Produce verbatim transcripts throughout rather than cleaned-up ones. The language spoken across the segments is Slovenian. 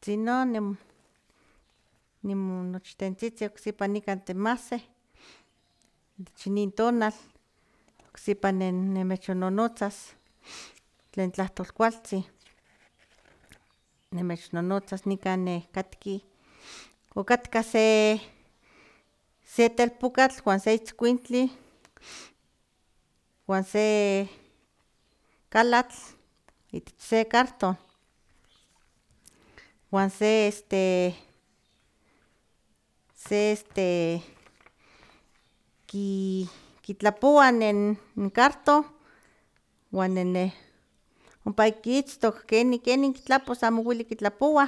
tzino nim nimonochtentzitzi oksipa nikan timahsih ich nin tonal oksipa nen nimechonnonotzas tlen tlahtolkualtzin nimechonnonotzas nikan neh katki okatka se se telpokatl uan se itzkuintli uan se kalatl itech se carton uan se este se este ki kitlapowa nen carton uan nene ompa kitztok keni keni kitlapos amo uili kitlapowa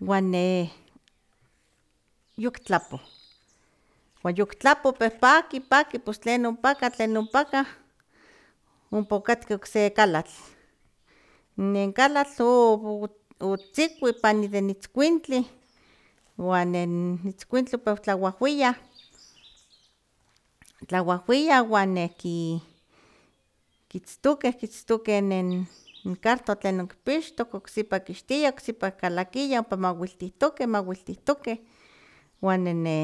uan ne yoktlapo uan yoktlapo pues paki paki pues tlen ompaka tlen ompaka ompa okatka okse kalatl nen kalatl otzikui pani de itzkuintli uan nen itzkuintli ompa otlauahuiya tlauahuiya uan neki kitztokeh kitztokeh nen carton tlen okipixtok oksipa kixtia oksipa kalakiya ompa mawiltihtokeh mawiltihtokeh uan nene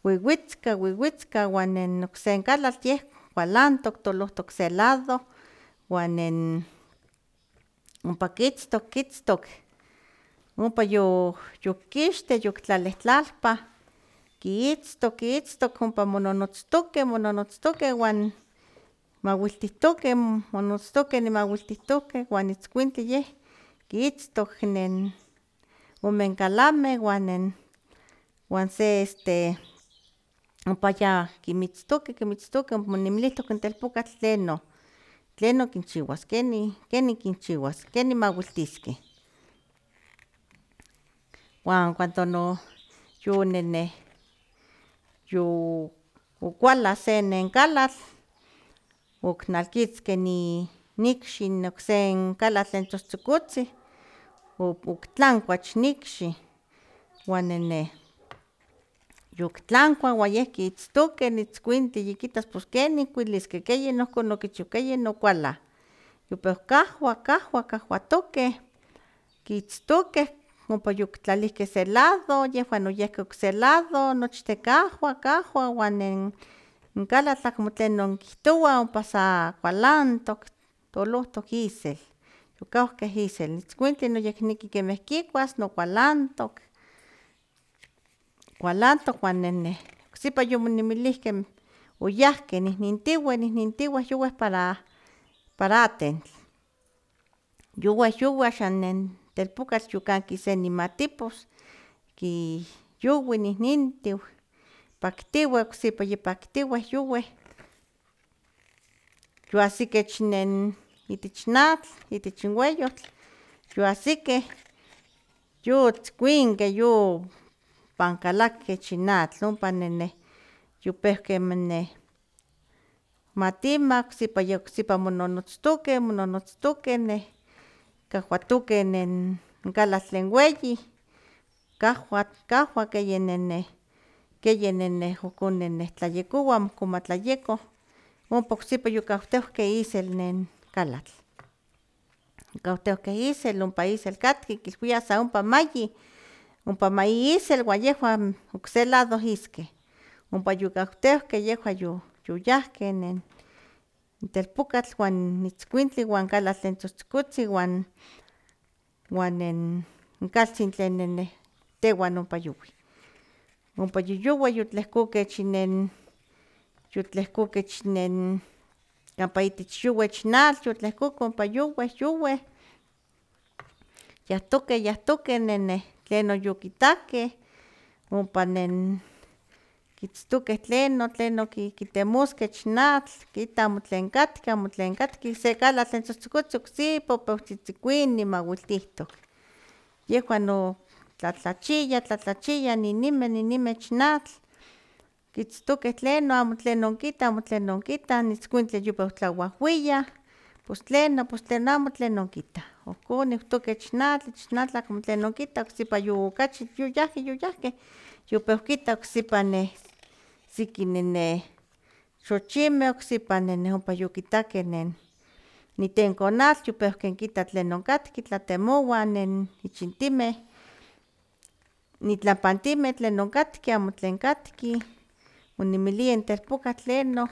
wiwitzka wiwitzka uan nen okse kalatl yeh kualantok tolohtok se lado uan nen ompa kitztok kitztok ompa yo yokixtih yoktlalihtlapah kitztok kitztok ompa mononotztokeh mononotztokeh uan mawiltihtokeh mononotztokeh nimawiltihtokeh uan itzkuintli yeh kitztok nen ome kalameh uan nen uan se este ompa ya kimitztokeh kimitztokeh omonimilihtok in telpokatl tlenon tlenon kinchiuas keni keni kinchiuas keni mawiltiskeh uan cuando no yonene yo okuala se nen kalatl oknalkitzkeh ni ikxi in okse kalatl tlen tzohtzokotzin oktlankuach in ikxi uan nene yoktlankua uan yeh kitztokeh in itzkuintli yikitas pues kenin kuiliskeh keyin nohkon okichiu keyin okuala yope kahua kahua kahuatokeh kitztokeh ompa yoktlalihkeh se lado yehuan oyehkeh okse lado nochtin kahua kahua uan nen kalatl amo tlenon kihtowa ompa sa kualantok tolohtok isel yokahkeh isel itzkuintli noyekneki kemeh kikuas no kualantok kualantok uan nene oksipa yomonimilihkeh oyahkeh nihnintiueh nihnintiueh youeh para para atentl youeh youeh axan nen telpokatl yokanki se nimatipos ki youi nihnintiu paktiueh oksipa yipaktiueh youeh yoahsikeh ich nen itech in atl itech in weyotl yoahsikeh yotzkuinkeh yopan kalakeh ich in atl ompa nene yopehkeh matima oksipa yeh oksipa mononotztokeh mononotztokeh neh kahuatokeh nen kalatl tlen weyi kahua kahua keyi nene keyi nene ohkon tlayekowa amo ohkon matlayeko ompa oksipa yokahtehkeh isel nen kalatl yokahtehkeh isel ompa isel katki kilhuiah sa ompa mayi ompa mayi isel uan yehuan okse lado iskeh ompa yokahtehkeh yehuan yoyahkeh nen telpokatl uan itzkuintli uan kalatl tlen tzohtzokotzin uan uan nen kaltzin tlen nene tehuan ompa youih ompa yoyoueh yotlehkokeh ich nen yotlehkokeh ich nen campa itech youeh ich in atl yotlehkokeh ompa youeh youeh yahtokeh yahtokeh nene tlenon yokitakeh ompa nen kitztokeh tlenon tlenon kitemoskeh ich in atl kita amo tlen katka amo tlen katka se kalatl tlen tzohtzokotzin oksipa ompa otzitzikuini mawiltihtok yehuan no tlatlachiya tlatlachiya ninimeh ninimeh ich in atl kitztokeh tlenon amo tlenon kita amo tlenon kita in itzkuintli yope otlauahuiya pos tlenon pos tlenon amo tlenon kita ohkon niuhtokeh ich in atl ich in atl amo tlenon kita oksipa yokachi yoyahkeh yoyahkeh yope okitah oksipa neh siki nene xochimeh oksipa nene ompa yokitakeh nen nitenko atl yopeuke kita tlen onkatki tlatemoua nen ichintimeh, nitlapantimeh tlen onkatki amo tlen katki, onimilia in telpokatl tlenon,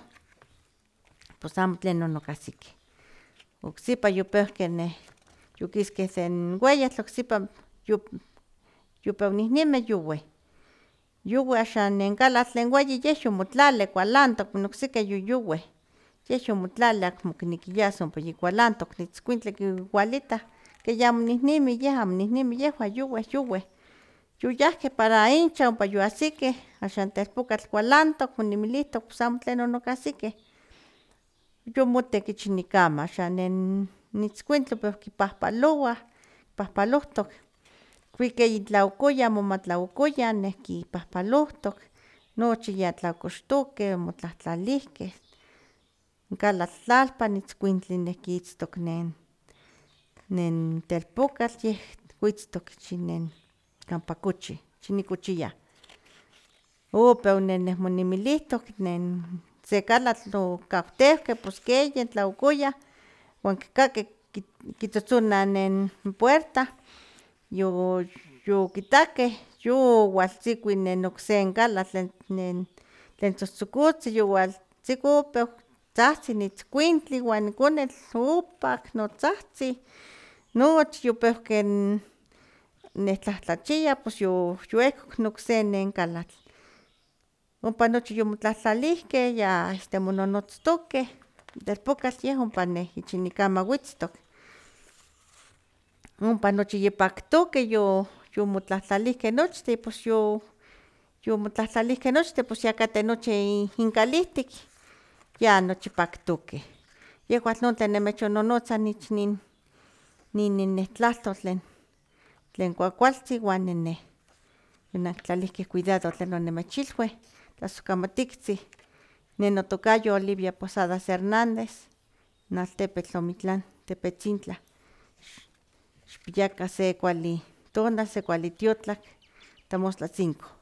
pos amo tlenon okahsikeh. Ocsipa yopeuke neh yokiskeh sen weyatl ocsipa yopeu nihnimeh youeh, youeh axan nen kalatl tlen weyi yeh yomotlalih kualantok, n okseki yoyoueh, yeh yomotlalih akmo kineki yas ompa yikualantok, in itzkuintli kiwalitah ke yamo nihnimi yeh amo nihnimi yehwan youeh, youeh, yoyahkeh para inchan ompa yoahsikeh, axan telpokatl kualantok oninmilihtok pos amo tlenon okahsikeh, yomotek ich nikama, axan nen itzkuintli opeu kipahpalowah, pahpalohtok, kuikeh itlaokoyan momatlaokoyan neh kipahpalohtok, nochi ya tlakoxtokeh, omotlahtlalihkeh, in kalatl tlalpan itzkuintli neh kitztok nen nen telpokatl yeh witztok ich nen kampa kochih, ich nikochiah. Opeu neh monimilihtok nen se kalatl okauteuhkeh pos ke yen tlaokoyan uan kikakeh kitzotzonah nen puerta, yo yokitakeh yowaltzikui nen okse kalatl nen tlen tzohtzokotzin yowaltziko opeu tzahtzih in itzkuintli uan in konetl opak notzahtzih, nochi yopeuke neh tlahtlachia pos yoehkok in okse nen kalatl, ompa nochi yomotlahtlalihkeh ya este mononotztokeh, telpokatl yeh ompa neh ich nikama witztok, ompa nochi yipaktokeh yo yomotlahtlalihkeh nochtin pos yo yomotlahtlalihkeh nochtin pos ya kateh nochi inkalihtik ya nochi paktokeh, yehwan non tlen nimechonnonotza ich nin nin tlahtol tlen tlen kuakualtzin uan nenneh yonankitlalihkeh cuidado tlen onimechilui, tlasokamatiktzin, ne notokayo Olivia Posadas Hernández, in altepetl Omitlán, Tepetzintla, xikpiakan se kuali tonal, se kuali tiotlak, tamostlatzinku.